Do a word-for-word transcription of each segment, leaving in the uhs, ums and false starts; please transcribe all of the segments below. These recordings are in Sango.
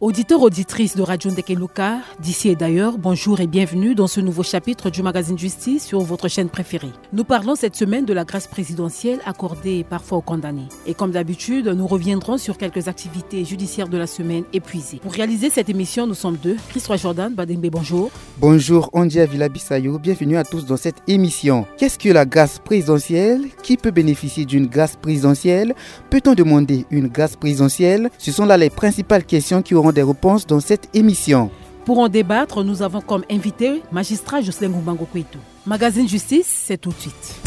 Auditeurs, auditrices de Radio Ndekeluka, d'ici et d'ailleurs, bonjour et bienvenue dans ce nouveau chapitre du magazine Justice sur votre chaîne préférée. Nous parlons cette semaine de la grâce présidentielle accordée parfois aux condamnés. Et comme d'habitude, nous reviendrons sur quelques activités judiciaires de la semaine épuisées. Pour réaliser cette émission, nous sommes deux. Christ-Roi Jordan Badengbe, bonjour. Bonjour, Andy Avila Bissayo. Bienvenue à tous dans cette émission. Qu'est-ce que la grâce présidentielle ? Qui peut bénéficier d'une grâce présidentielle ? Peut-on demander une grâce présidentielle ? Ce sont là les principales questions qui auront des réponses dans cette émission. Pour en débattre, nous avons comme invité magistrat Jocelyn Ngumbango Kweto. Magazine Justice, c'est tout de suite.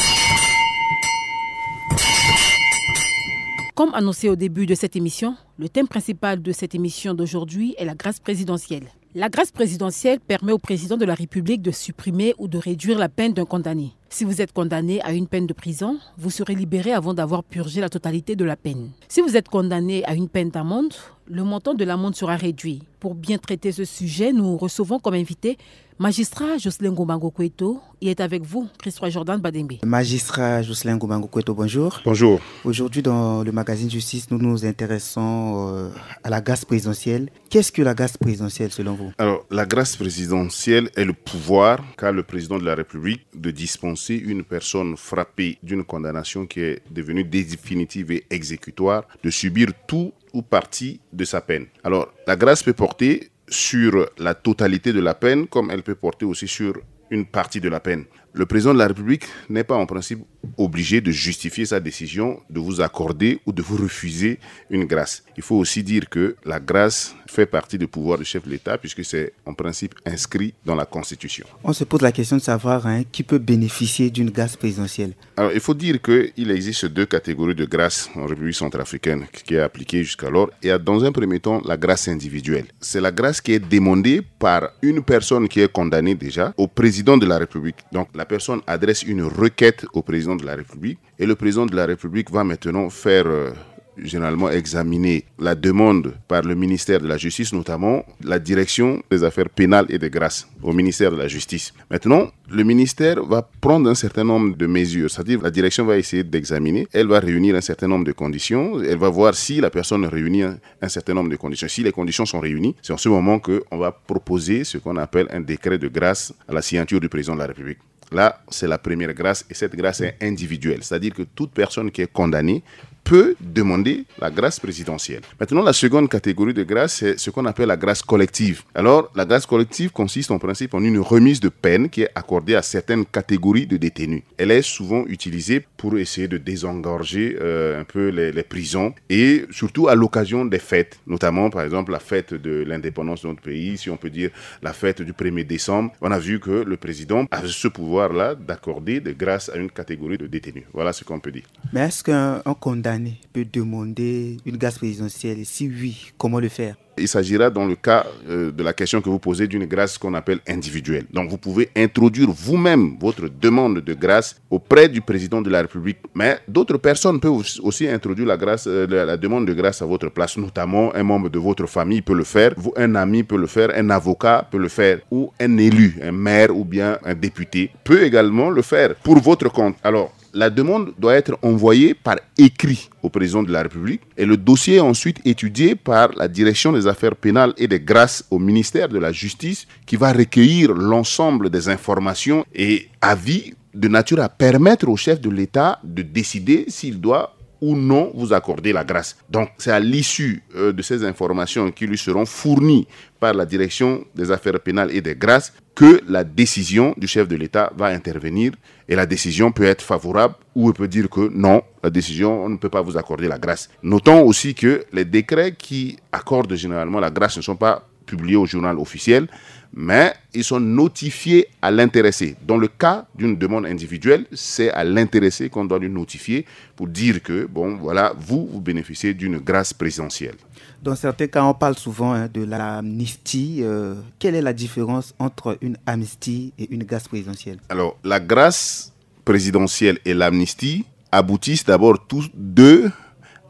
Comme annoncé au début de cette émission, le thème principal de cette émission d'aujourd'hui est la grâce présidentielle. La grâce présidentielle permet au président de la République de supprimer ou de réduire la peine d'un condamné. Si vous êtes condamné à une peine de prison, vous serez libéré avant d'avoir purgé la totalité de la peine. Si vous êtes condamné à une peine d'amende, le montant de l'amende sera réduit. Pour bien traiter ce sujet, nous recevons comme invité magistrat Jocelyn Ngumbango Kweto. Il est avec vous, Christ-Roi Jordan Badengbe. Magistrat Jocelyn Ngumbango Kweto, bonjour. Bonjour. Aujourd'hui, dans le magazine Justice, nous nous intéressons euh, à la grâce présidentielle. Qu'est-ce que la grâce présidentielle selon vous ? Alors, la grâce présidentielle est le pouvoir qu'a le président de la République de dispenser une personne frappée d'une condamnation qui est devenue définitive et exécutoire de subir tout ou partie de sa peine. Alors, la grâce peut porter sur la totalité de la peine, comme elle peut porter aussi sur une partie de la peine. Le président de la République n'est pas en principe obligé de justifier sa décision de vous accorder ou de vous refuser une grâce. Il faut aussi dire que la grâce fait partie du pouvoir du chef de l'État puisque c'est en principe inscrit dans la Constitution. On se pose la question de savoir hein, qui peut bénéficier d'une grâce présidentielle. Alors, il faut dire qu'il existe deux catégories de grâce en République centrafricaine qui est appliquée jusqu'alors. Il y a dans un premier temps la grâce individuelle. C'est la grâce qui est demandée par une personne qui est condamnée déjà au président de la République. Donc, la personne adresse une requête au président de la République et le président de la République va maintenant faire euh, généralement examiner la demande par le ministère de la Justice, notamment la direction des affaires pénales et des grâces au ministère de la Justice. Maintenant, le ministère va prendre un certain nombre de mesures, c'est-à-dire la direction va essayer d'examiner, elle va réunir un certain nombre de conditions, elle va voir si la personne réunit un, un certain nombre de conditions. Si les conditions sont réunies, c'est en ce moment qu'on va proposer ce qu'on appelle un décret de grâce à la signature du président de la République. Là, c'est la première grâce et cette grâce est individuelle, c'est-à-dire que toute personne qui est condamnée peut demander la grâce présidentielle. Maintenant, la seconde catégorie de grâce, c'est ce qu'on appelle la grâce collective. Alors, la grâce collective consiste en principe en une remise de peine qui est accordée à certaines catégories de détenus. Elle est souvent utilisée pour essayer de désengorger euh, un peu les, les prisons et surtout à l'occasion des fêtes, notamment par exemple la fête de l'indépendance de notre pays, si on peut dire la fête du premier décembre. On a vu que le président a ce pouvoir-là d'accorder des grâces à une catégorie de détenus. Voilà ce qu'on peut dire. Mais est-ce qu'un un condamné peut demander une grâce présidentielle ? Si oui, comment le faire ? Il s'agira dans le cas euh, de la question que vous posez d'une grâce qu'on appelle individuelle. Donc vous pouvez introduire vous-même votre demande de grâce auprès du président de la République. Mais d'autres personnes peuvent aussi introduire la, grâce, euh, la, la demande de grâce à votre place, notamment un membre de votre famille peut le faire, vous, un ami peut le faire, un avocat peut le faire, ou un élu, un maire ou bien un député peut également le faire pour votre compte. Alors, la demande doit être envoyée par écrit au président de la République et le dossier est ensuite étudié par la direction des affaires pénales et des grâces au ministère de la Justice qui va recueillir l'ensemble des informations et avis de nature à permettre au chef de l'État de décider s'il doit ou non vous accorder la grâce. Donc, c'est à l'issue euh, de ces informations qui lui seront fournies par la direction des affaires pénales et des grâces que la décision du chef de l'État va intervenir et la décision peut être favorable ou elle peut dire que non, la décision, on ne peut pas vous accorder la grâce. Notons aussi que les décrets qui accordent généralement la grâce ne sont pas publiés au journal officiel, mais ils sont notifiés à l'intéressé. Dans le cas d'une demande individuelle, c'est à l'intéressé qu'on doit lui notifier pour dire que, bon, voilà, vous, vous bénéficiez d'une grâce présidentielle. Dans certains cas, on parle souvent hein, de l'amnistie. Euh, quelle est la différence entre une amnistie et une grâce présidentielle ? Alors, la grâce présidentielle et l'amnistie aboutissent d'abord tous deux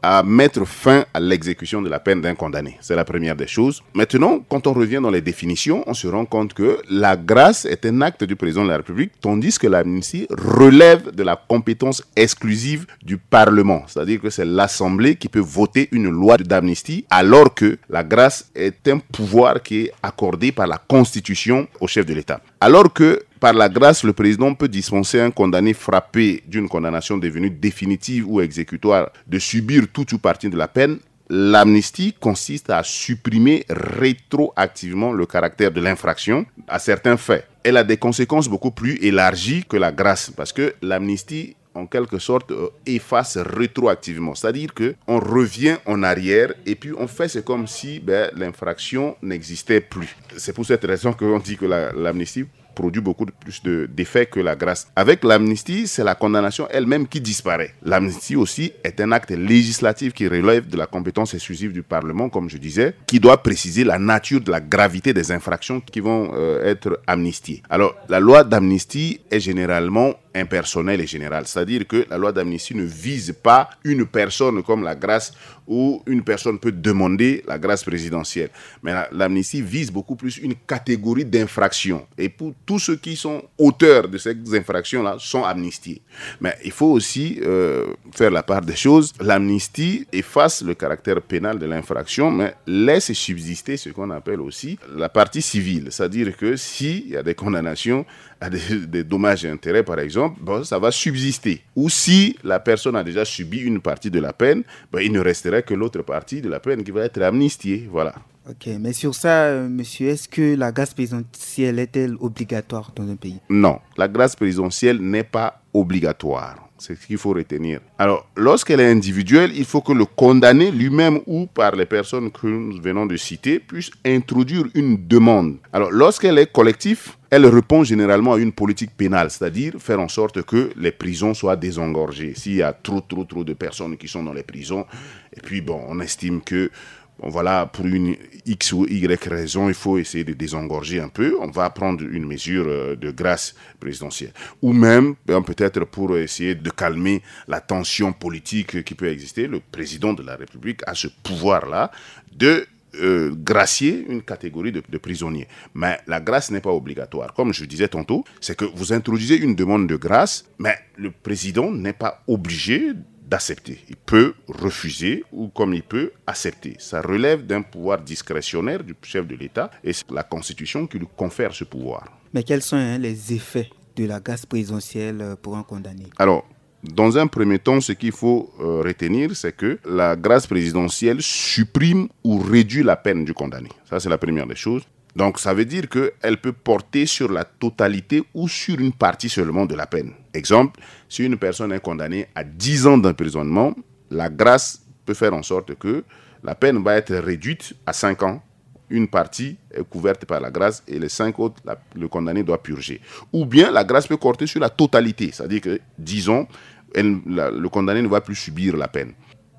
à mettre fin à l'exécution de la peine d'un condamné. C'est la première des choses. Maintenant, quand on revient dans les définitions, on se rend compte que la grâce est un acte du président de la République, tandis que l'amnistie relève de la compétence exclusive du Parlement. C'est-à-dire que c'est l'Assemblée qui peut voter une loi d'amnistie, alors que la grâce est un pouvoir qui est accordé par la Constitution au chef de l'État. Alors que, par la grâce, le président peut dispenser un condamné frappé d'une condamnation devenue définitive ou exécutoire de subir toute ou partie de la peine, l'amnistie consiste à supprimer rétroactivement le caractère de l'infraction à certains faits. Elle a des conséquences beaucoup plus élargies que la grâce, parce que l'amnistie, en quelque sorte, euh, efface rétroactivement. C'est-à-dire que on revient en arrière et puis on fait, c'est comme si, ben, l'infraction n'existait plus. C'est pour cette raison qu'on dit que la, l'amnistie produit beaucoup de, plus de, d'effets que la grâce. Avec l'amnistie, c'est la condamnation elle-même qui disparaît. L'amnistie aussi est un acte législatif qui relève de la compétence exclusive du Parlement, comme je disais, qui doit préciser la nature de la gravité des infractions qui vont, euh, être amnistiées. Alors, la loi d'amnistie est généralement impersonnelle et générale. C'est-à-dire que la loi d'amnistie ne vise pas une personne comme la grâce, où une personne peut demander la grâce présidentielle. Mais la, l'amnistie vise beaucoup plus une catégorie d'infractions. Et pour tous ceux qui sont auteurs de ces infractions-là, sont amnistiés. Mais il faut aussi, euh, faire la part des choses. L'amnistie efface le caractère pénal de l'infraction, mais laisse subsister ce qu'on appelle aussi la partie civile. C'est-à-dire que s'il y a des condamnations à des, des dommages et intérêts, par exemple, bon, ça va subsister. Ou si la personne a déjà subi une partie de la peine, ben, il ne resterait que l'autre partie de la peine qui va être amnistiée. Voilà. Ok, mais sur ça, euh, monsieur, est-ce que la grâce présidentielle est-elle obligatoire dans un pays ? Non, la grâce présidentielle n'est pas obligatoire. C'est ce qu'il faut retenir. Alors, lorsqu'elle est individuelle, il faut que le condamné lui-même ou par les personnes que nous venons de citer puisse introduire une demande. Alors, lorsqu'elle est collective, elle répond généralement à une politique pénale, c'est-à-dire faire en sorte que les prisons soient désengorgées. S'il y a trop, trop, trop de personnes qui sont dans les prisons, et puis, bon, on estime que, bon, voilà, pour une X ou Y raison, il faut essayer de désengorger un peu, on va prendre une mesure, euh, de grâce présidentielle. Ou même, ben, peut-être pour essayer de calmer la tension politique qui peut exister, le président de la République a ce pouvoir-là de, euh, gracier une catégorie de, de prisonniers. Mais la grâce n'est pas obligatoire. Comme je disais tantôt, c'est que vous introduisez une demande de grâce, mais le président n'est pas obligé d'accepter. Il peut refuser ou comme il peut accepter. Ça relève d'un pouvoir discrétionnaire du chef de l'État et c'est la Constitution qui lui confère ce pouvoir. Mais quels sont, hein, les effets de la grâce présidentielle, euh, pour un condamné ? Alors, dans un premier temps, ce qu'il faut, euh, retenir, c'est que la grâce présidentielle supprime ou réduit la peine du condamné. Ça, c'est la première des choses. Donc, ça veut dire qu'elle peut porter sur la totalité ou sur une partie seulement de la peine. Exemple, si une personne est condamnée à dix ans d'emprisonnement, la grâce peut faire en sorte que la peine va être réduite à cinq ans. Une partie est couverte par la grâce et les cinq autres, la, le condamné doit purger. Ou bien la grâce peut porter sur la totalité, c'est-à-dire que, disons, elle, la, le condamné ne va plus subir la peine.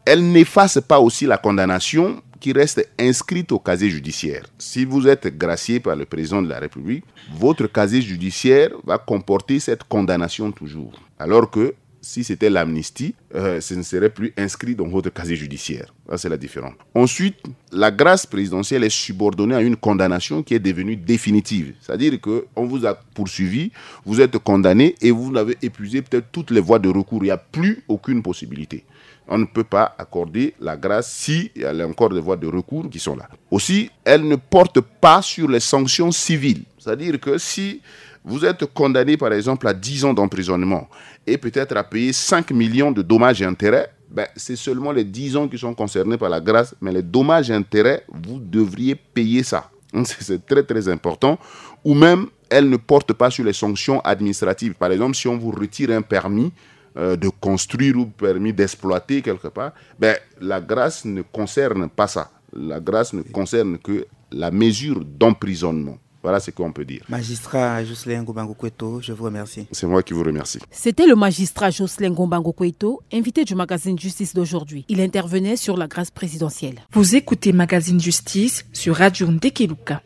Elle n'efface pas aussi la condamnation qui reste inscrite au casier judiciaire. Si vous êtes gracié par le président de la République, votre casier judiciaire va comporter cette condamnation toujours. Alors que si c'était l'amnistie, euh, ce ne serait plus inscrit dans votre casier judiciaire. Ça, c'est la différence. Ensuite, la grâce présidentielle est subordonnée à une condamnation qui est devenue définitive. C'est-à-dire qu'on vous a poursuivi, vous êtes condamné et vous avez épuisé peut-être toutes les voies de recours. Il n'y a plus aucune possibilité. On ne peut pas accorder la grâce si il y a encore des voies de recours qui sont là. Aussi, elle ne porte pas sur les sanctions civiles. C'est-à-dire que si vous êtes condamné, par exemple, à dix ans d'emprisonnement et peut-être à payer cinq millions de dommages et intérêts, ben, c'est seulement les dix ans qui sont concernés par la grâce, mais les dommages et intérêts, vous devriez payer ça. Donc, c'est, c'est très, très important. Ou même, elle ne porte pas sur les sanctions administratives. Par exemple, si on vous retire un permis, euh, de construire ou permis d'exploiter quelque part, ben, la grâce ne concerne pas ça. La grâce ne concerne que la mesure d'emprisonnement. Voilà ce qu'on peut dire. Magistrat Jocelyn Ngumba Ngukweto, je vous remercie. C'est moi qui vous remercie. C'était le magistrat Jocelyn Ngumba Ngukweto, invité du magazine Justice d'aujourd'hui. Il intervenait sur la grâce présidentielle. Vous écoutez Magazine Justice sur Radio Ndekeluka.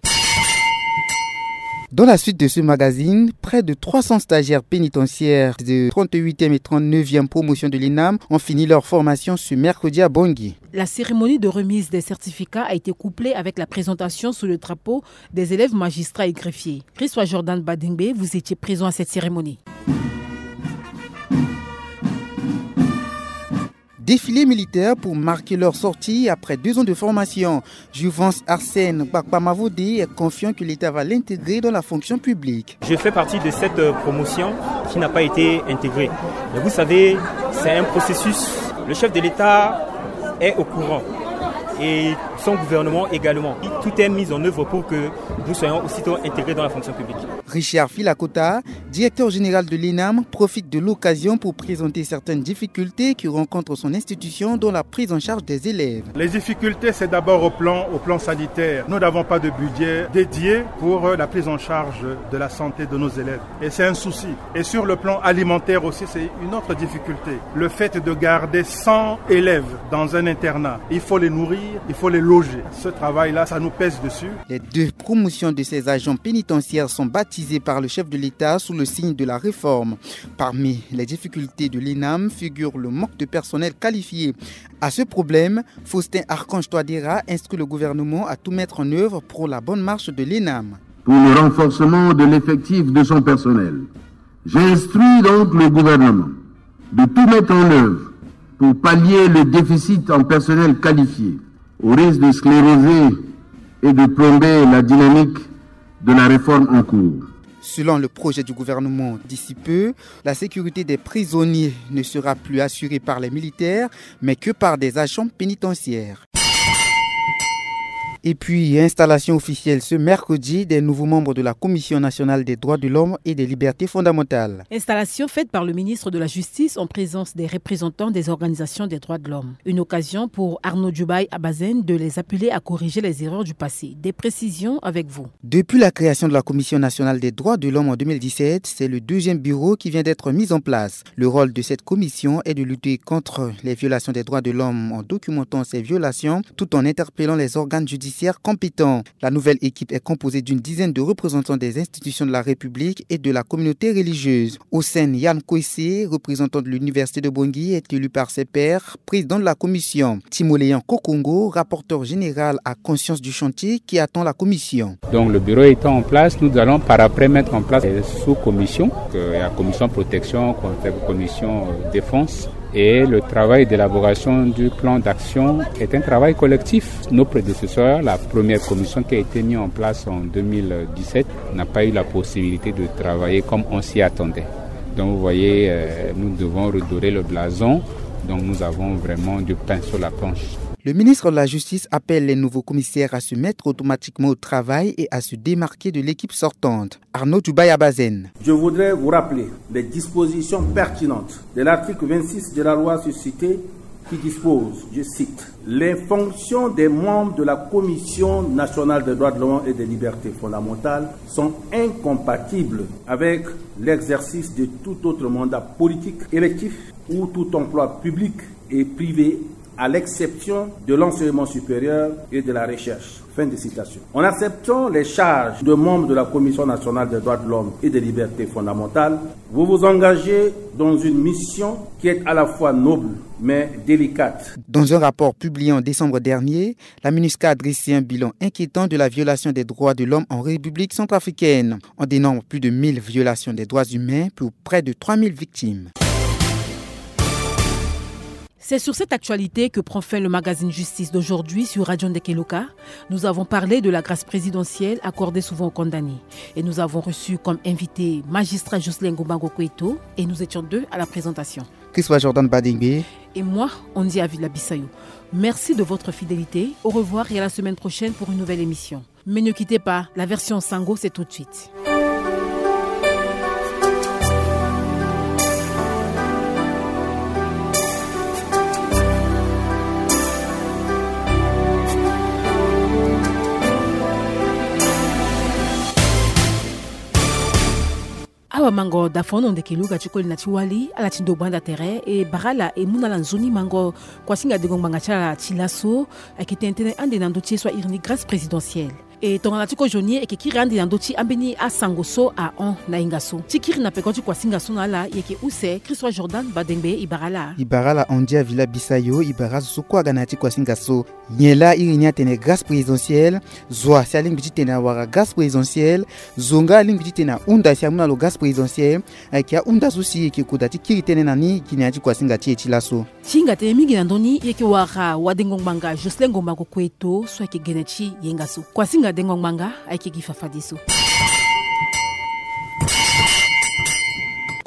Dans la suite de ce magazine, près de trois cents stagiaires pénitentiaires de trente-huitième et trente-neuvième promotion de l'ENAM ont fini leur formation ce mercredi à Bangui. La cérémonie de remise des certificats a été couplée avec la présentation sous le drapeau des élèves magistrats et greffiers. Christophe Jordan Badengbe, vous étiez présent à cette cérémonie. Défilé militaire pour marquer leur sortie après deux ans de formation. Juvence Arsène Gbakpamavode est confiant que l'État va l'intégrer dans la fonction publique. Je fais partie de cette, euh, promotion qui n'a pas été intégrée. Mais vous savez, c'est un processus. Le chef de l'État est au courant et son gouvernement également. Tout est mis en œuvre pour que nous soyons aussitôt intégrés dans la fonction publique. Richard Filakota, directeur général de l'ENAM, profite de l'occasion pour présenter certaines difficultés que rencontre son institution dans la prise en charge des élèves. Les difficultés, c'est d'abord au plan, au plan sanitaire. Nous n'avons pas de budget dédié pour, euh, la prise en charge de la santé de nos élèves. Et c'est un souci. Et sur le plan alimentaire aussi, c'est une autre difficulté. Le fait de garder cent élèves dans un internat, il faut les nourrir, il faut les loger. Ce travail-là, ça nous pèse dessus. Les deux promotions de ces agents pénitentiaires sont baptisées par le chef de l'État sous le signe de la réforme. Parmi les difficultés de l'ENAM figure le manque de personnel qualifié. À ce problème, Faustin Archange Touadéra instruit le gouvernement à tout mettre en œuvre pour la bonne marche de l'ENAM. Pour le renforcement de l'effectif de son personnel, j'instruis donc le gouvernement de tout mettre en œuvre pour pallier le déficit en personnel qualifié, au risque de scléroser et de plomber la dynamique de la réforme en cours. Selon le projet du gouvernement, d'ici peu, la sécurité des prisonniers ne sera plus assurée par les militaires, mais que par des agents pénitentiaires. Et puis, installation officielle ce mercredi des nouveaux membres de la Commission nationale des droits de l'homme et des libertés fondamentales. Installation faite par le ministre de la Justice en présence des représentants des organisations des droits de l'homme. Une occasion pour Arnaud Djoubaye Abazen de les appeler à corriger les erreurs du passé. Des précisions avec vous. Depuis la création de la Commission nationale des droits de l'homme en deux mille dix-sept, c'est le deuxième bureau qui vient d'être mis en place. Le rôle de cette commission est de lutter contre les violations des droits de l'homme en documentant ces violations tout en interpellant les organes judiciaires compétents. La nouvelle équipe est composée d'une dizaine de représentants des institutions de la République et de la communauté religieuse. Hossein Yann Kwesi, représentant de l'Université de Bangui, est élu par ses pairs président de la commission. Timoléon Kokongo, rapporteur général, a conscience du chantier qui attend la commission. Donc le bureau étant en place, nous allons par après mettre en place les sous-commissions, euh, la commission protection, commission, euh, défense. Et le travail d'élaboration du plan d'action est un travail collectif. Nos prédécesseurs, la première commission qui a été mise en place en deux mille dix-sept, n'a pas eu la possibilité de travailler comme on s'y attendait. Donc vous voyez, euh, nous devons redorer le blason. Donc nous avons vraiment du pain sur la planche. Le ministre de la Justice appelle les nouveaux commissaires à se mettre automatiquement au travail et à se démarquer de l'équipe sortante. Arnaud Djoubaye Abazen. Je voudrais vous rappeler les dispositions pertinentes de l'article vingt-six de la loi suscitée qui dispose, je cite, « Les fonctions des membres de la Commission nationale des droits de l'homme et des libertés fondamentales sont incompatibles avec l'exercice de tout autre mandat politique, électif ou tout emploi public et privé, à l'exception de l'enseignement supérieur et de la recherche. » Fin de citation. En acceptant les charges de membre de la Commission nationale des droits de l'homme et des libertés fondamentales, vous vous engagez dans une mission qui est à la fois noble mais délicate. Dans un rapport publié en décembre dernier, la MINUSCA a dressé un bilan inquiétant de la violation des droits de l'homme en République centrafricaine. On dénombre plus de mille violations des droits humains pour près de trois mille victimes. C'est sur cette actualité que prend fin le magazine Justice d'aujourd'hui sur Radio Ndekeloka. Nous avons parlé de la grâce présidentielle accordée souvent aux condamnés. Et nous avons reçu comme invité magistrat Jocelyn Gombango Koueto et nous étions deux à la présentation. Christophe Jordan Badengbe. Et moi, Andy Avila Bissayo. Merci de votre fidélité. Au revoir et à la semaine prochaine pour une nouvelle émission. Mais ne quittez pas, la version Sango, c'est tout de suite. Awa mango da fono ndeke luga ti koli na ti wali ala ti ndo gbanda tere e bara ala e mu na ala nzoni mango. Kuasinga dengo ngbanga ti ala ti laso ayeke tene tënë ande na ndö ti ye so airi ni grâce présidentielle. E tongana ti kozoni e yeke kiri ande na ndö ti ambeni asango so ahon na hinga so. Ti kiri na peko ti kuasinga so na ala e yeke use Christophe Jordan Badengbe. E bara ala. E bara ala Andy Avila Bisayo, e bara azo so kue aga na ya ti kuasinga so. Nyen laa iri ni atene grâce présidentielle? Zo asi alingbi titene awara grâce présidentielle? Zo nga alingbi titene ahunda si amu na lo grâce présidentielle? Ayeke ahunda so si e yeke koda ti kiri tënë na ni gi na ya ti kuasinga ti e ti laso. Ti hinga tënë mingi na ndö ni e yeke wara wadengo ngbanga Jocelyn Ngombango Kueto so ayeke gene ti yenga so. Kuasinga dengo ngbanga ayeke gi fafadeso.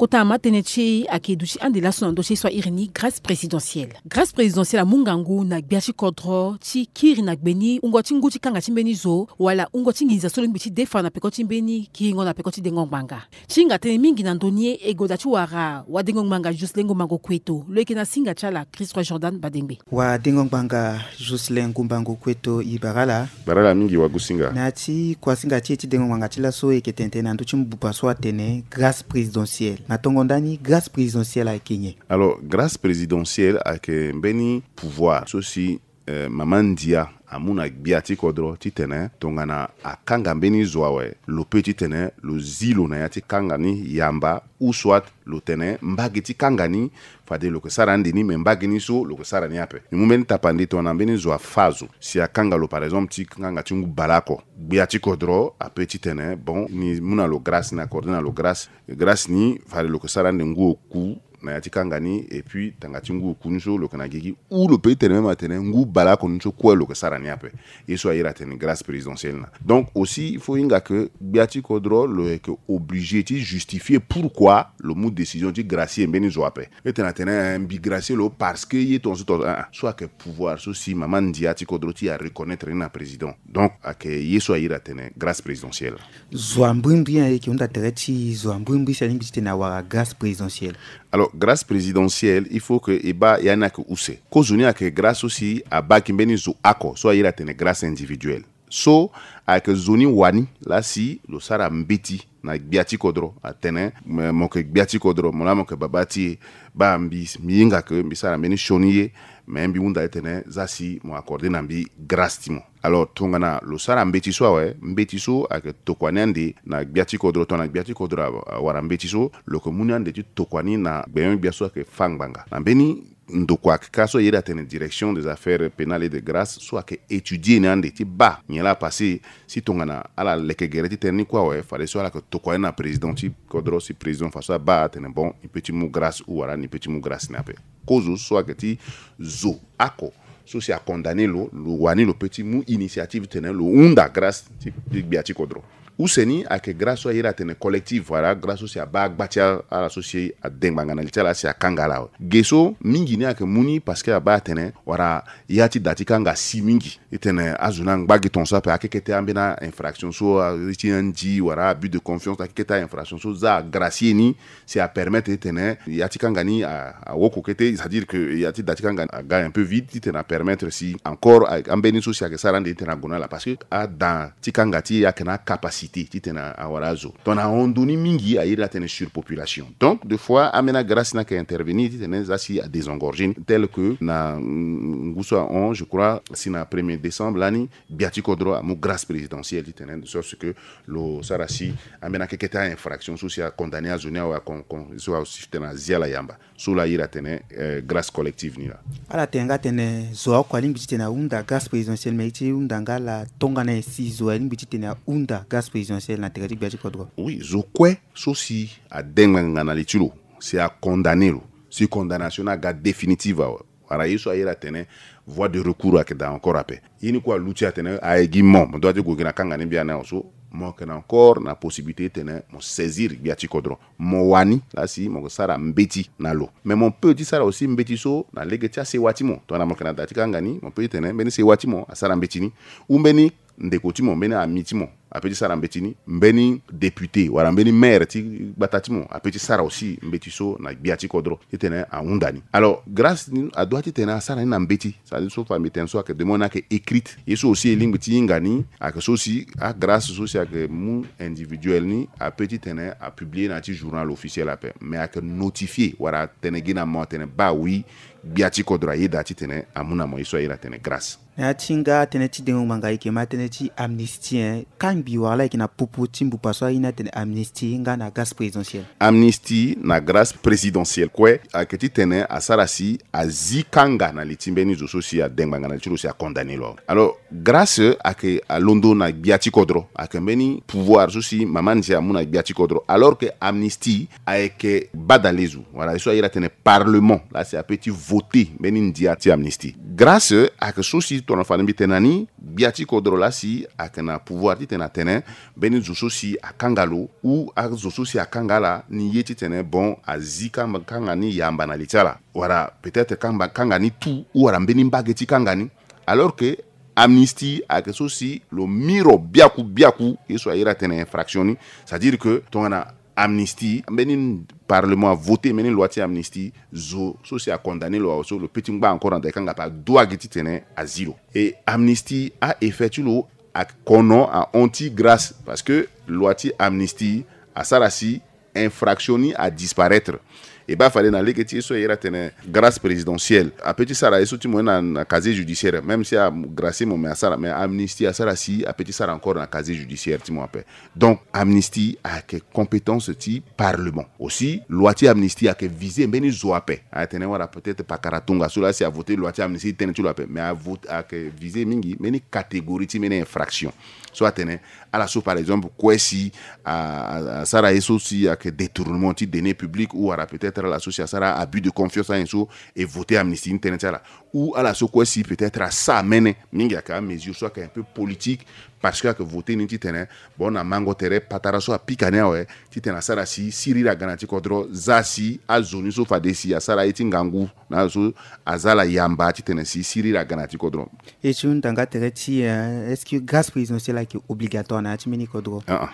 Kota ama tënë ti e ayeke duti ande laso na ndö ti e so airi ni grâce présidentielle. Grâce présidentielle amu ngangu na gbia ti kodro ti kiri na gbe ni wungo ti ngu ti kanga ti mbeni zo wala wungo ti nginza so lo lingbi ti defa na peko ti mbeni kiringo na peko ti dengo ngbanga. Ti hinga tënë mingi na ndö ni e, e goda ti wara wadengo ngbanga Jocelyn Ngombango Kueto, lo yeke na singa ti ala Christophe Jordan Badengbe. Wadengo ngbanga Jocelyn Ngombango Kueto, e bara ala. Bara ala mingi wagusinga. Na ya ti kuasinga ti e ti dengo ngbanga ti laso e yeke tene tënë na ndö ti mbuba so atene grâce présidentielle. Na tongo ndani grâce présidentielle ayeke nyen? Alors, grâce présidentielle ayeke mbeni pouvoir so si eh, mama ndia amu na gbia ti kodro titene tongana akanga mbeni zo awe, lo peut titene lo zi lo na ya ti kanga ni yamba, ou soit lo tene mbage ti kanga ni fade lo yeke sara ande ni, me mbage ni so lo yeke sara ni ape. E mu mbeni tapande tongana mbeni zo afâ zo, si akanga lo par exemple ti kanga ti ngu baleoko, gbia ti kodro ape titene bon, ni mu na lo grâce, ni accordé na lo grâce. Grâce ni fade lo yeke sara ande ngu oku na ya ti kanga ni, et puis tanga ti ngu oku ni so lo yeke na gigi, ou lo peut tene même atene ngu baleoko ni so kue lo yeke sara ni ape. Ye so airi atene grâce présidentielle na. Donc aussi il faut hinga que gbia ti kodro lo yeke obligé ti justifier pourquoi lo mu décision ti gracier mbeni zo ape. E tene atene, eh, mbi gracier lo parce que ye tongaso tongaso, ah, ah. So ayeke pouvoir so si mama ndia ti kodro ti e areconnaître ni na président. Donc ayeke ye so airi atene grâce présidentielle. Zo ambrimbri ayeke hunda tere ti zo ambrimbri si alingbi titene awara grâce présidentielle. Alors grâce présidentielle, il faut que e baa ya ni ayeke use. Kozoni ayeke grâce so si abaa gi mbeni zo oko so airi atene grâce individuelle. So ayeke zo ni wani laa si lo sara mbeti na gbia ti kodro, atene me, mo yeke gbia ti kodro, mo laa mo yeke babâ ti e, baa mbi, mbi hinga que mbi sara mbeni sioni ye, me mbi hunda titene za si mo accordé na mbi grâce ti mo. Alors tongana lo sara mbeti so awe, mbeti so ayeke tokua ni ande na gbia ti kodro, tongana gbia ti kodro a, awara mbeti so, lo yeke mu ni ande ti tokua ni na gbenyo-gbia so ayeke fâ ngbanga. Na mbeni ndokua kâ so airi atene direction des affaires pénales et de grâce so ayeke étudier ni ande ti baa nyen laa apassé, si tongana ala leke gere ti tënë ni kue awe, fadeso ala yeke tokua ni na président ti kodro, si président fadeso abaa atene bon, ni peut ti mu grâce ou wala ni peut ti mu grâce ni ape. Kozo so ayeke ti zo oko so si acondamné lo, lo wani lo peut ti mu initiative titene lo hunda grâce ti, ti gbia ti kodro. Use ni ayeke grâce so airi atene collective, wala grâce so si abaa gba ti ala so si ade ngbanga na li ti ala si akanga ala awe. Ge so mingi ni ayeke mu ni parce que abaa atene wala ya ti da ti kanga asi mingi. Titene azo ni angba gi tongaso ape, akekete ambeni a-infraction so, a, ti anzi wala abus de confiance, akekete a-infraction so za agracier ni, si apermettre titene ya ti kanga ni a, awoko kete, c'est-à-dire que ya ti da ti kanga aga un peu vide, titene apermettre si encore a, ambeni so si ayeke sara ande titene ague na ala, parce que ada ti kanga ti e ayeke na acapacité titene awara azo. Tongana ahon ndo ni mingi, airi atene surpopulation. Donc des fois ambeni agrâce ni ayeke intervenir titene za si adésengorger ni, tel que na, mm, ngu so ahon, je crois si na premier décembre lani, gbia ti kodro amu grâce présidentielle titene de sorte que lo sara si ambeni akekete a-infraction so si acondamné azo ni awe, a con, con, so azo si titene azi ala yamba. So laa airi atene, eh, grâce collective ni laa. Ala tene nga atene zo oko alingbi titene ahunda grâce présidentielle, me e ti hunda nga ala tongana nyen si zo alingbi titene ahunda grâce présidentielle na tere ti gbia ti kodro? Oui, zo kue so si ade ngbanga na li ti lo, si acondamné lo, si condamnation ni aga définitive awe, wala ye so airi atene voie de recours ayeke daa encore ape. Ye ni kue aluti atene aye gi mo, mo doit ti gue gi na kanga ni mbia ni awe, so mo yeke na encore na possibilité titene mo saisir gbia ti kodro. Mo wani laa si mo yeke sara mbeti na lo. Mais mo peut ti sara aussi mbeti so na lege ti asewa ti mo. Tongana mo yeke na da ti kanga ni, mo peut ti tene mbeni sewa ti mo asara mbeti ni, ou mbeni ndeko ti mo, mbeni ami ti mo, ape ti sara mbeti ni. Mbeni député wala mbeni maire ti gbata ti mo ape ti sara aussi mbeti so na gbia ti kodro titene ahunda ni. Alors Grâce ni adoit titene asara ni na mbeti. C'est-à-dire so fa mbi tene so ayeke demande ni ayeke écrite. Ye so aussi e lingbi ti hinga ni ayeke so si aGrâce so si ayeke mu individuel ni ape titene apublie na ya ti journal officiel ape, mais ayeke notifié wala atene gi na mo atene baa oui, gbia ti kodro ayeda titene amu na mo ye so ayeda atene Grâce. Na ya ti nga tënë ti dengo ngbanga e yeke ma tënë ti amnistie, eh, kangbi wala e yeke na popo ti mbupa so aye ni atene amnistie nga na grâce présidentielle? Amnistie na grâce présidentielle kue ayeke titene asara si azi kanga na li ti mbeni zo so si ade ngbanga na li ti lo si acondamné lo awe. Alors Grâce ayeke alondo na gbia ti kodro, ayeke mbeni pouvoir so si mama ndia amu na gbia ti kodro, alors que amnistie ayeke badalezo wala ye so ayeda atene parlement laa si ape ti voté mbeni ndia ti amnistie. Grâce ayeke so si tongana fade mbi tene na ni, gbia ti kodro laa si ayeke na pouvoir titene atene mbeni zo so si akanga lo ou azo so si akanga ala ni ye titene bon azi kanga, kanga ni yamba na li ti ala, wala peut-être kanga, kanga ni tout ou wala mbeni mbage ti kanga ni. Alors que amnistie ayeke so si lo miro biaku biaku ye so ayeda atene infraction ni. C'est-à-dire que tongana amnistie, mbeni parlement avoté mbeni loi ti amnistie, zo so si acondamné lo awe so lo pe ti ngba encore na da e kanga ape, adoit gi titene azi lo. Et amnistie, a-effet ti lo ayeke kono ahon ti grâce, parce que loi ti amnistie asara si infraction ni adisparaître. E baa fade na lege ti ye so ayeda atene grâce présidentielle ape ti sara ye so ti mo na, na casier judiciaire, même si agracié mo, mais asara, mais amnistie asara si ape ti sara encore na casier judiciaire ti mo ape. Donc amnistie ayeke compétence ti parlement. Aussi loi ti amnistie ayeke visé mbeni zo ape. Atene wala peut-être pakara tongaso laa si avoté loi ti amnistie ti tënë ti lo ape, mais avoté, ayeke visé mingi mbeni catégorie ti mbeni infraction. So atene ala so par exemple kue si a, a, asara ye so si ayeke détournement ti deniers publics ou wala peut-être ala so si asara abus de confiance, anyen so e voté amnistie ni tënë ti ala, ou ala so kue si peut-être asa mene mingi, ayeke amesure so ayeke un peu politique, parce que ayeke voté ni titene bon na mango tere patara so apika ni awe titene asara si siriri aga na ya ti kodro, za si azo ni so fade si asara ye ti ngangu na azo so aza ala yamba titene si siriri aga na ya ti kodro. E ti hunda nga tere ti, eh, est-ce que grâce présidentielle ayeke obligatoire na ya ti mbeni kodro? Ah, ah.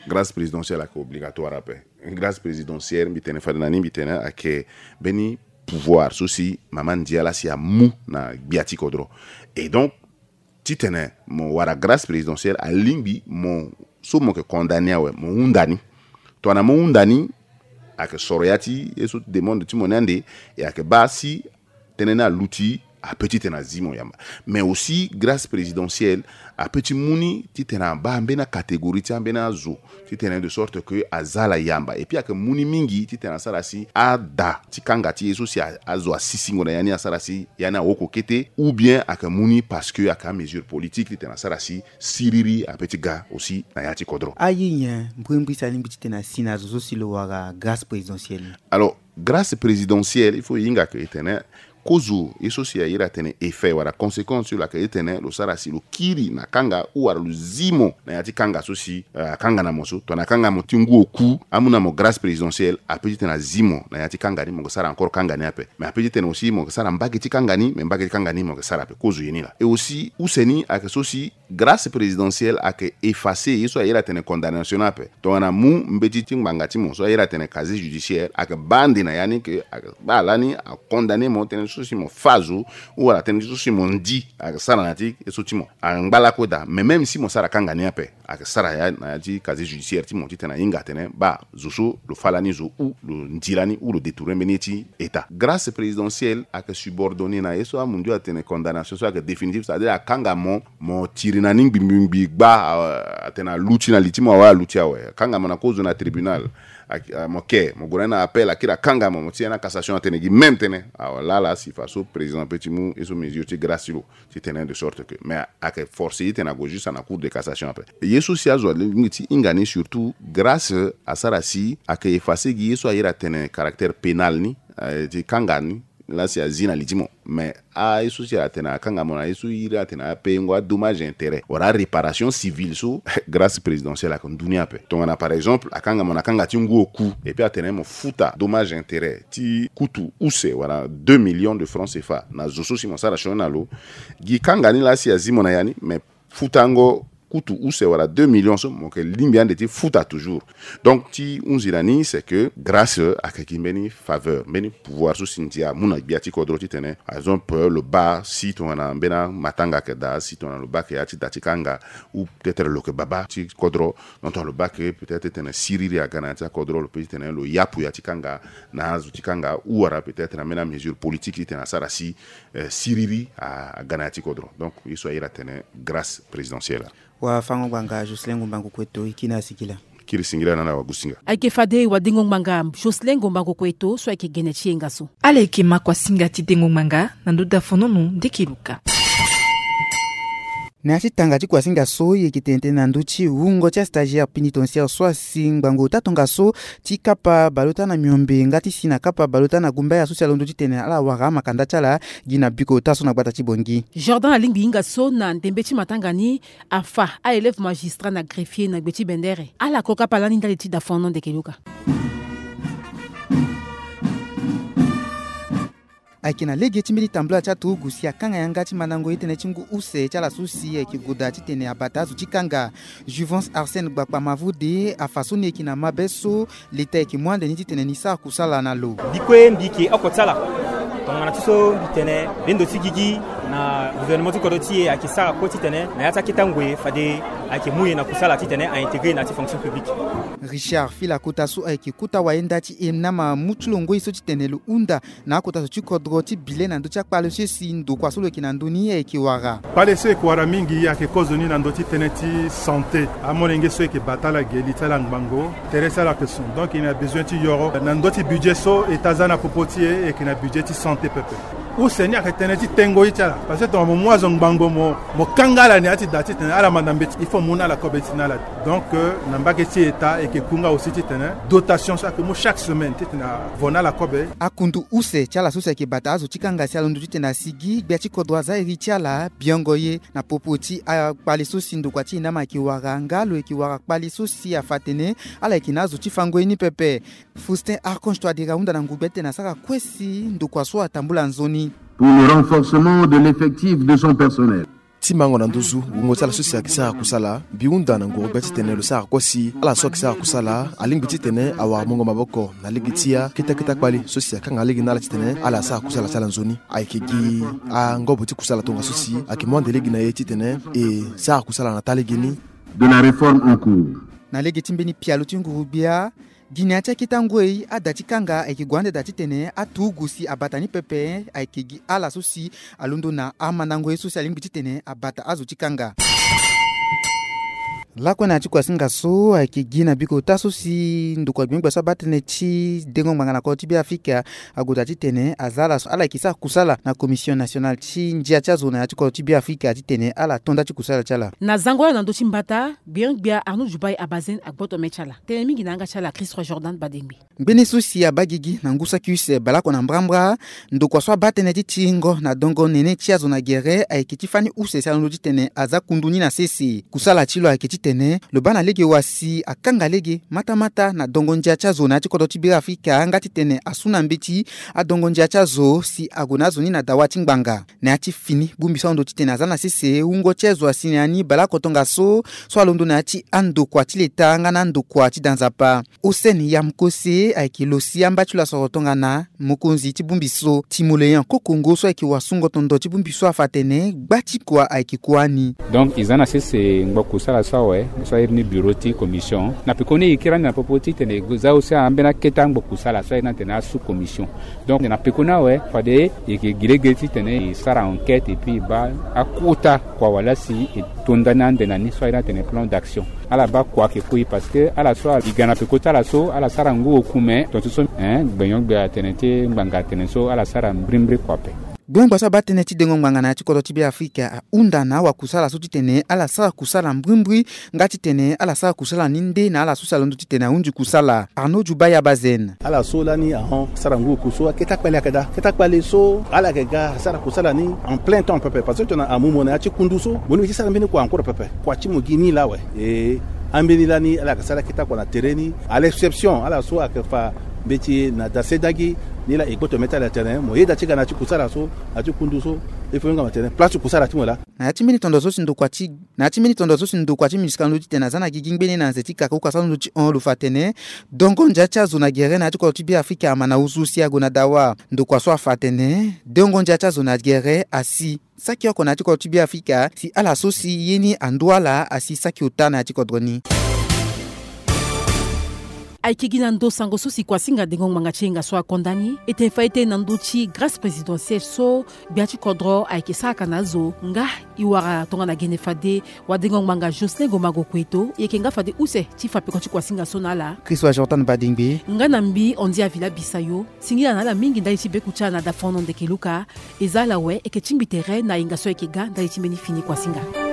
Grâce présidentielle ayeke obligatoire ape. Grâce présidentielle mbi tene fade na ni, mbi tene ayeke mbeni pouvoir so si mama ndia laa si amu na gbia ti kodro. Et donc titene mo wara grâce présidentielle alingbi mo so mo yeke condamné awe mo hunda ni. Tongana mo hunda ni, ayeke soro ya ti ye so demande ti mo ni ande, e ayeke baa si tënë ni aluti, ape titene azi mo yamba. Mais aussi grâce présidentielle ape ti mu ni titene abaa ambeni acatégorie ti ambeni azo titene de sorte que aza ala yamba. Et puis ayeke mu ni mingi titene asara si ada ti kanga ti ye so si a, azo asisingo na ya ni asara si ya ni awoko kete, ou bien ayeke mu ni parce que ayeke amesure politique titene asara si siriri ape ti ga aussi na ya ti kodro. Aye nyen mbrimbri si alingbi titene asi na azo so si lo wara grâce présidentielle ni? Alors grâce présidentielle, il faut e hinga ke e tene kozo ye so si ayeda atene effet wala conséquence ti lo ayeke titene lo sara si lo kiri na kanga ou wala lo zi mo na ya ti kanga so si, eh, akanga na mo so. Tongana akanga mo ti ngu oku, amu na mo grâce présidentielle, ape titene azi mo na ya ti kanga ni, mo yeke sara encore kanga ni ape. Mais ape titene aussi mo yeke sara mbage ti kanga ni, mais mbage ti kanga ni mo yeke sara ape. Kozo ye ni laa. Et aussi use ni ayeke so si grâce présidentielle ayeke effacer ye so ayeda atene condamnation ni ape. Tongana mu mbeti ti ngbanga ti mo so ayeda atene casier judiciaire, ayeke baa ande na ya ni ke ayeke baa lani acondamné mo tënë so si mo fâ zo ou wala tënë so si mo ndi, ayeke sara na ya ti ye so ti mo. Angba lakue daa, mais même si mo sara kanga ni ape, ayeke sara ya na ya ti casier judiciaire ti mo titene ahinga atene baa zo so lo fâ lani zo ou lo ndi lani ou lo détourné mbeni ye ti État. Grâce présidentielle ayeke subordonné na ye so amundio atene condamnation so ayeke définitive, c'est-à-dire akanga mo, mo tiri na ni ngbi ngbi ngbi gba, a, atene aluti na li ti mo awe, aluti awe. Akanga mo na kozo na tribunal. A, a, mo ke, mo gue na ni na appel, akiri akanga mo, mo ti ya na cassation atene gi même tënë. Awa laa laa si faso président ape ti mu ye so mesure ti grâce ti lo titene de sorte que, mais ayeke forcé titene ague juste na cour de cassation ape. Ye so si azo alingbi ti hinga ni surtout grâce asara si ayeke effacer gi ye so ayeda atene caractère pénal ni, eh, ti kanga ni laa si azi na li ti mo. Mais aye so si atene akanga mo na ye so iri atene apayengo adommage intérêt wala aréparation civile so grâce présidentielle ayeke ndu ni ape. Tongana par exemple akanga mo na kanga ti ngu oku et puis atene mo futa dommage intérêt ti kutu use wala deux millions de francs CFA na zo so si mo sara sioni na lo, gi kanga ni laa si azi mo na ya ni, mais futango kutu use wala deux millions so mo yeke lingbi ande ti futa toujours. Donc ti hunzi na ni c'est que grâce ayeke gi mbeni faveur, mbeni pouvoir so si ndia amu na gbia ti kodro titene par exemple lo baa si tongana mbeni amatanga ayeke daa, si tongana lo baa ayeke ya ti da ti kanga, ou peut-être lo yeke baba ti kodro, donc tongana lo baa ayeke peut-être titene siriri aga na ya ti akodro, lo peut titene lo yapu ya ti kanga na azo ti kanga, ou wala peut-être na mbeni amesure politique titene asara si eh, siriri a, aga na ya ti kodro. Donc ye so ayeke tene grâce présidentielle. Wafango-ngbanga Jocelyn Ngombango Kueto, e kiri na singila. Kiri singila na ala wagusinga. Ayeke fade wadengo-ngbanga Jocelyn Ngombango Kueto so ayeke gene ti yenga so. Ala yeke makuasinga ti dengo ngbanga na ndö dafonono ndeke luka. Na ya ti tanga ti kuasinga so e yeke tene tënë na ndö ti wungo ti astagiaire pénitentiaire so asi ngbangbo ota tongaso ti kapa baleota na miombe nga ti si na kapa baleota na gumbaya so si alondo titene ala wara amakanda ti ala gi na biko ota so na gbata ti Bangui. Jordan alingbi hinga so na ndembe ti matanga ni afa aélève magistrat na greffier na gbe ti bendere. Ala ko kapa lani ndali ti dafono ndeke luka. Ayeke na lege ti mbeni tambula ti aturugu si akanga yanga ti mandango ye tënë ti ngu use ti ala so si ayeke goda titene abata azo ti kanga. Juvence Arsène Gbakpa Mavode afa so ni ayeke na mabe so leta ayeke mu ande ni titene ni sara kusala na lo. Mbi kue mbi yeke oko ti ala. Tongana ti so mbi tene bendo ti gigi na gouvernement ti kodro ti e ayeke sara kue titene na ya ti akete ngoi fade ayeke mu e na kusala titene a intégré na ya ti fonction publique. Richard Filakota so ayeke kota wayenda ti e nama mu ti lo ngoi so titene lo hunda na akota zo ti kodro ti bile na ndö ti akpale so si ndokua so lo yeke na ndö ni ayeke wara. Kpale so e yeke wara mingi ayeke kozoni na ndö ti tënë ti santé. Amolenge so e yeke bata ala ge li ti ala ngbangbo, tere ti ala ayeke son. Donc e na besoin ti yoro na ndö ti budget so eta aza na popo ti e, e yeke na budget ti santé pepe. Use ni ayeke tënë ti tengo ye ti ala. Parce que tongana mo mu azo ngbangbo mo, mo kanga ala ni ati da titene ala manda mbeti, il faut mo mu na ala kobe ti na ala. Donc euh, na mbage ti eta e yeke ku nga aussi titene dotation so ayeke mu chaque semaine titene avo na ala kobe. Akundu use ti ala so si ayeke bata azo ti kanga si alondo titene asigi gbia ti kodro aza iri ti ala biongo ye na popo ti akpale so si ndokua ti e nama ayeke wara nga lo yeke wara kpale so si afa atene ala yeke na azo ti fango ye ni pepe. Faustin Archange Touadéra ahunda na nguru gbia titene asara kue si ndokua so atambula nzoni. Pour le renforcement de l'effectif de son personnel. Ti mango na nduzu wungo ti ala so si ayeke sara kusala, mbi hunda na nguru gbia titene lo sara kue si ala so ayeke sara kusala alingbi titene awara mungo maboko na lege ti akete akete akpale so si akanga lege na ala titene ala sara kusala ti ala nzoni. Ayeke gi angobo ti kusala tongaso si ayeke mu ande lege na e titene e sara kusala na taa lege ni. De la réforme en cours. Na lege ti mbeni pialo ti nguru gbia, gi na ya ti akete ngoi ada ti kanga ayeke gue ande daa titene aturugu si abata ni pepe ayeke gi ala so si alondo na amandango ye so si alingbi titene abata azo ti kanga. Lakue na ya ti kuasinga so ayeke gi na biko ota so si ndokua gbengbe so abaa tënë ti dengo ngbanga na kodro ti Beafrika ague daa titene aza ala so ala yeke sara kusala na Commission nationale ti ndia ti azo na ya ti kodro ti Beafrika titene ala to nda ti kusala ti ala. Na zango ala na ndö ti mbata, gbia gbia Arnaud Dubai Abazen agboto me ti ala. Tënë mingi na yanga ti ala Christ Roi Jordan Badengbe. Ngbene so si abaa gigi na ngu saki use baleoko na mbrambra, ndokua so abaa tënë ti tiringo na dongo nene ti azo na gere ayeke ti fani use si alondo titene aza kundu ni na sese. Kusala ti lo ayeke titene lo baa na lege wa si akanga lege matamata na dongo ndia ti azo na ya ti kodro ti Beafrika nga titene asu na mbeti adongo ndia ti azo si ague na azo ni na dawa ti ngbanga. Na ya ti fini, bongbi so alondo titene aza na sese wungo ti azo asi na ya ni baleoko tongaso so alondo na ya ti andokua ti leta nga na andokua ti da nzapa. Hossein Yamkose ayeke lo si amba ti lo asoro tongana mokonzi ti bongbi so. Timoleon Kokongo so ayeke wasungo tondo ti bongbi so afa atene gba ti kua ayeke kua ni. Donc e za na sese ngbo kusala so awe so airi ni bureau ti commission. Na pekoni e kiri ande na popo titene e za aussi ambeni akete angbo kusala so airi ni atene asous commission. Donc na pekoni awe fade e yeke gi lege titene e sara enquête et puis e baa akota kua wala si e to nda ni ande na ni so airi ni atene plan d'action. Ala baa kua ayeke kue parce que ala so e ga na peko ti ala so ala sara ngu oku me tongaso so, eh, gbenyo-gbia atene ti ngbanga atene so ala sara mbrimbri kua ape. Gbengba so abaa tënë ti dengo ngbanga na ya ti kodro ti Beafrika ahunda na awakusala so titene ala sara kusala mbrimbri nga titene ala sara kusala ni nde na ala so si alondo titene ahunzi kusala. Arnaud Djoubaye Abazen. Ala so lani ahon sara ngu oku so akete akpale ayeke daa. Akete akpale so ala yeke ga asara kusala ni en plein temps pepe parce que tongana amu mo na ya ti kundu so mo lingbi ti sara mbeni kua encore pepe. Kua ti mo gi ni laa awe. E ambeni lani ala yeke sara akete akua na tere ni à l'exception ala so ayeke fa mbeti na dasedagi Ni laa e gboto mê ti ala tene mo yeda ti ga na ya ti kusara so, na ya ti kundu so. Il faut nga ma tene place ti kusara ti mo laa. Na ya ti mbeni tondo so si ndokua ti na ya ti mbeni tondo so si ndokua ti MINUSCA alondo titene aza na gigi ngbene na nze ti kaka uka so alondo ti hon lo fa atene dongo ndia ti azo na gere na ya ti kodro ti Beafrika ama na ozo si ague na dawa. Ndokua so afa atene dongo ndia ti azo na gere asi saki oko na ya ti kodro ti Beafrika si ala so si ye ni andu ala asi saki ota na ya ti kodro ni. Ayeke gi na ndo sango so si kuasinga dengo ngbanga ti yenga so akonda ni. E tene fa e tene na ndö ti grâce présidentielle so gbia ti kodro ayeke sara ka na azo nga e wara tongana gene fade wadengo ngbanga Jocelyn Gomago Kueto e yeke nga fade use ti fa peko ti kuasinga so na ala. Christ wa Jordan Badingbe nga na mbi Andy Avila Bisayo. Singila na ala mingi ndali ti beku ti ala na dafono ndeke luka. E za ala awe e yeke tingbi tere na yenga so ayeke ga ndali ti mbeni fini kuasinga.